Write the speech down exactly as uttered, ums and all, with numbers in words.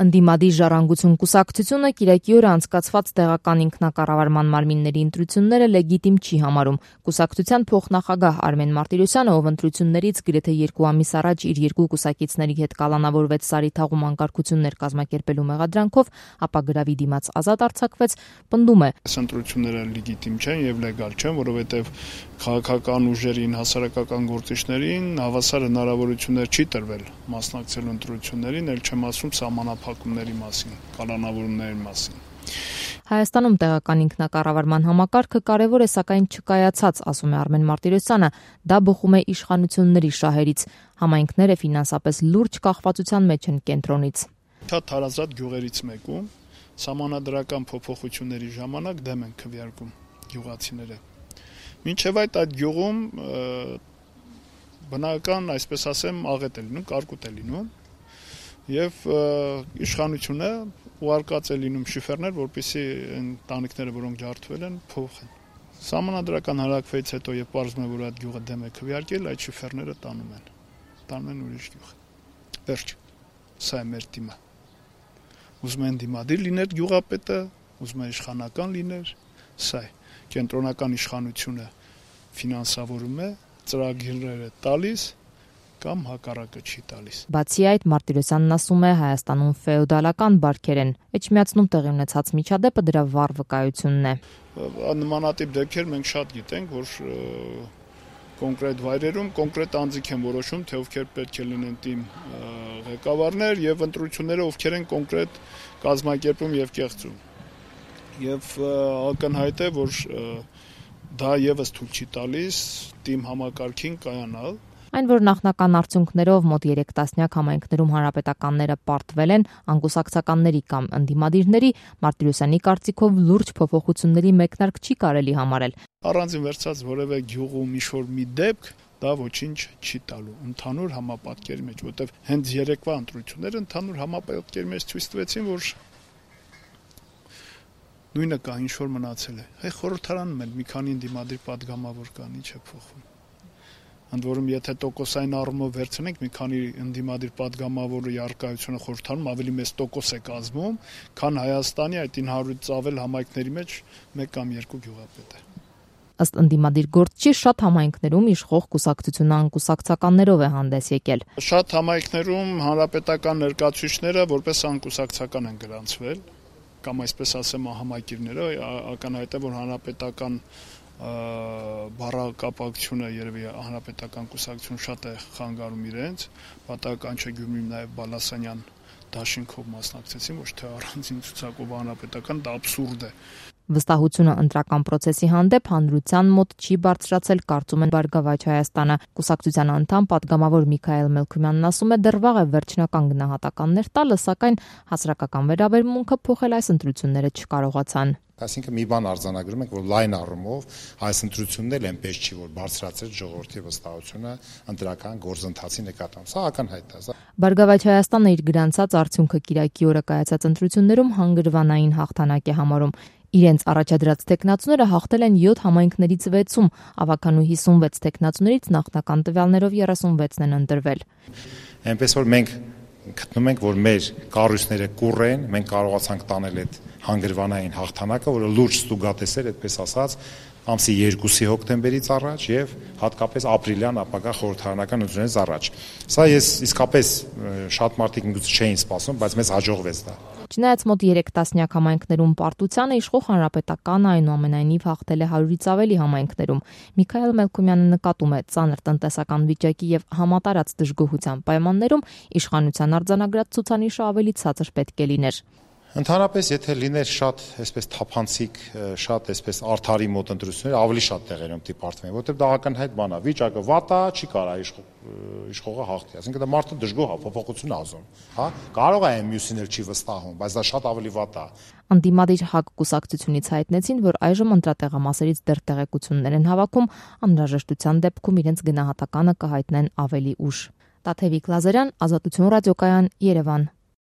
Ընդդիմադիր Ժառանգություն կուսակցությունը կիրակի օրը անցկացված տեղական ինքնակառավարման մարմինների ընտրությունները լեգիտիմ չի համարում։ Կուսակցության փոխնախագահ Արմեն Մարտիրոսյանը, ով ընտրություններից գրեթե երկու ամիս առաջ իր երկու կուսակիցների հետ կալանավորվեց Սարիթաղում անկարգություններ կազմակերպելու մեղադրանքով, ապա գրավի դիմաց ազատ արձակվեց, պնդում է. Այս ընտրությունները լեգիտիմ չեն եւ լեգալ չեն, որովհետեւ քաղաքական ուժերին, հասարակական գործիչներին հավասար հնարավորություններ չի տրվել մասնակցելու ընտրություններին, ել չեմ ասում սահմանափակումների մասին, կալանավորումների մասին։ Հայաստանում տեղական ինքնակառավարման համակարգը կարևոր է, սակայն չկայացած, ասում է Արմեն Մարտիրոսյանը, դա բխում է իշխանությունների շահերից։ Համայնքները ֆինանսապես լուրջ կախվածության մեջ են կենտրոնից։ Շատ հարազատ գյուղերից մեկում սահմանադրական փոփոխությունների ժամանակ դեմ են քվեարկում գյուղացիները։ Մինչև այդ այդ գյուղում բնական, այսպես ասեմ, աղետ է լինում, կարկուտ է լինում եւ իշխանությունը ուղարկած է լինում շիֆերներ, որպեսզի ընտանիքները, որոնք ջարդվել են, փոխեն։ Սահմանադրական հարակվից հետո եւ պարզվում է, որ այդ գյուղը դեմ է քվեարկել, այդ շիֆերները տանում են։ Տանում են ուրիշ գյուղ։ Վերջ։ Սա է մեր դիմը։ Ուզում են դիմադիր լիներ գյուղապետը, ուզում են իշխանական լիներ, սա է։ Կենտրոնական իշխանությունը ֆինանսավորում է, ծրագիրները տալիս կամ հակառակը չի տալիս։ Բացի այդ, Մարտիրոսյանն ասում է, Հայաստանում ֆեոդալական բարքեր են, էջմիածնում տեղի ունեցած միջադեպը դրա վառ վկայությունն է։ Նմանատիպ դեպքեր մենք շատ գիտենք, որ կոնկրետ վայրերում կոնկրետ անձիկ են որոշում, թե ովքեր պետք է լինեն թիմ ղեկավարներ եւ ընտրությունները ովքեր են կոնկրետ կազմակերպում եւ կեղծում։ Եվ ակնհայտ է, որ դա եւս թույլ չի տալիս թիմ համակարգին կայանալ։ Այն, որ նախնական արդյունքներով մոտ երեք տասնյակ համայնքներում հանրապետականները պարտվել են անկուսակցականների կամ ընդդիմադիրների, Մարտիրոսյանի կարծիքով լուրջ փոփոխությունների մեկնարկ չի կարելի համարել։ Առանձին վերցած որևէ գյուղում ինչ-որ մի դեպք դա ոչինչ չի տալու ընդհանուր համապատկերի մեջ, որտեղ հենց երեկվա ընտրությունները ընդհանուր համապատկերի մեջ ցույց տվեցին, որ նույնը կա, ինչ-որ մնացել է։ Հայ խորհրդարանում էլ մի քանի ընդդիմադիր падգամավոր կան, ինչ է փոխվում։ Ընդ որում, եթե տոկոսային առումով վերցնենք, մի քանի ընդդիմադիր падգամավորի առկայությունը խորհրդարանում ավելի մեծ տոկոս է կազմում, քան Հայաստանի այդ ինը հարյուրից ավել համայնքների մեջ մեկ կամ երկու գյուղապետ է։ Ըստ ընդդիմադիր գործչի, շատ համայնքներում իշխող կուսակցությունը անկուսակցականներով է հանդես եկել։ Շատ համայնքներում հանրապետական ներկայացուցիչները որպես անկուսակցական են գրանցվել, կամ այսպես ասեմ, համակիրները, ակնհայտ է, որ հանրապետական բառակապակցությունը երևի հանրապետական կուսակցություն շատ է խանգարում իրենց, պատահական չէ Գյումրիում նաև Բալասանյան դաշինքով մասնակցեցին, ոչ թե առանձին ցուցակով հանրապետական, դա աբսուրդ է։ Վստահությունը ընտրական process-ի հանդեպ հանրության մոտ չի բարձրացել, կարծում են Բարգավաճ Հայաստանը։ Կուսակցության անդամ падգամավոր Միքայել Մելքումյանն ասում է, դեռ վաղ է վերջնական գնահատականներ տալը, սակայն հասարակական վերաբերմունքը փոխել այս ընտրությունները չկարողացան։ Այսինքն մի բան արձանագրում ենք, որ լայն առումով այս ընտրությունն էլ այնպես չի, որ բարձրացրեց ժողովրդի վստահությունը ընտրական գործընթացի նկատմամբ։ Սա ակնհայտ է։ Բարգավաճ Հայաստանը իր գրանցած արդյունքը կիրակի օրը կայացած ընտրություններում հանգրվանային հաղթանակ է համարում։ Իրենց առաջադրած տեխնացուները հաղթել են յոթ համայնքներից վեցում, ավագանու հիսունվեց տեխնացուներից նախնական տվյալներով երեսունվեցն են ընտրվել։ Այնպես որ մենք գտնում ենք, որ մեր կառույցները կուռ են, մենք կարողացանք տանել այդ հանգրվանային հաղթանակը, որը լուրջ ստուգատես էր, այդպես ասած, ամսի երկուսի հոկտեմբերից առաջ եւ հատկապես ապրիլյան ապագա խորհրդարանական ընտրությունից առաջ։ Սա ես իսկապես շատ մարդիկ ինքնուց չէին սպասում, բայց մեզ հաջողվեց դա։ Չնայած մոտ երեք տասնյակ համայնքներում պարտությանը, իշխող հանրապետականը այնուամենայնիվ հաղթել է հարյուրից ավելի համայնքներում։ Միքայել Մելքումյանը նկատում է, ծանր տնտեսական վիճակի եւ համատարած դժգոհության պայմաններում իշխանության արձանագրած ցուցանիշը ավելի ցածր պետք է լիներ։ Ընդհանրապես, եթե լիներ շատ այսպես թափանցիկ, շատ այսպես արդարի մոտ ընտրություններ, ավելի շատ տեղերում դիպարտվեն, որտեղ դա ակնհայտ բան է, վիճակը վատ է, չի կարա իշխողը հաղթի, այսինքն դա մարդը դժգոհ է, փոփոխություն ազում, հա, կարող է մյուսին էլ չի վստահում, բայց դա շատ ավելի վատ է։ Ընդդիմադիր ՀԱԿ կուսակցությունից հայտնեցին, որ այժմ ընտրատեղամասերից դեռ տեղեկություններ են հավաքում, անհրաժեշտության դեպքում իրենց գնահատականը կհայտնեն ավելի ուշ։ Տաթևիկ Լազարյան, Ազատություն ռադիոկայան, Երևան։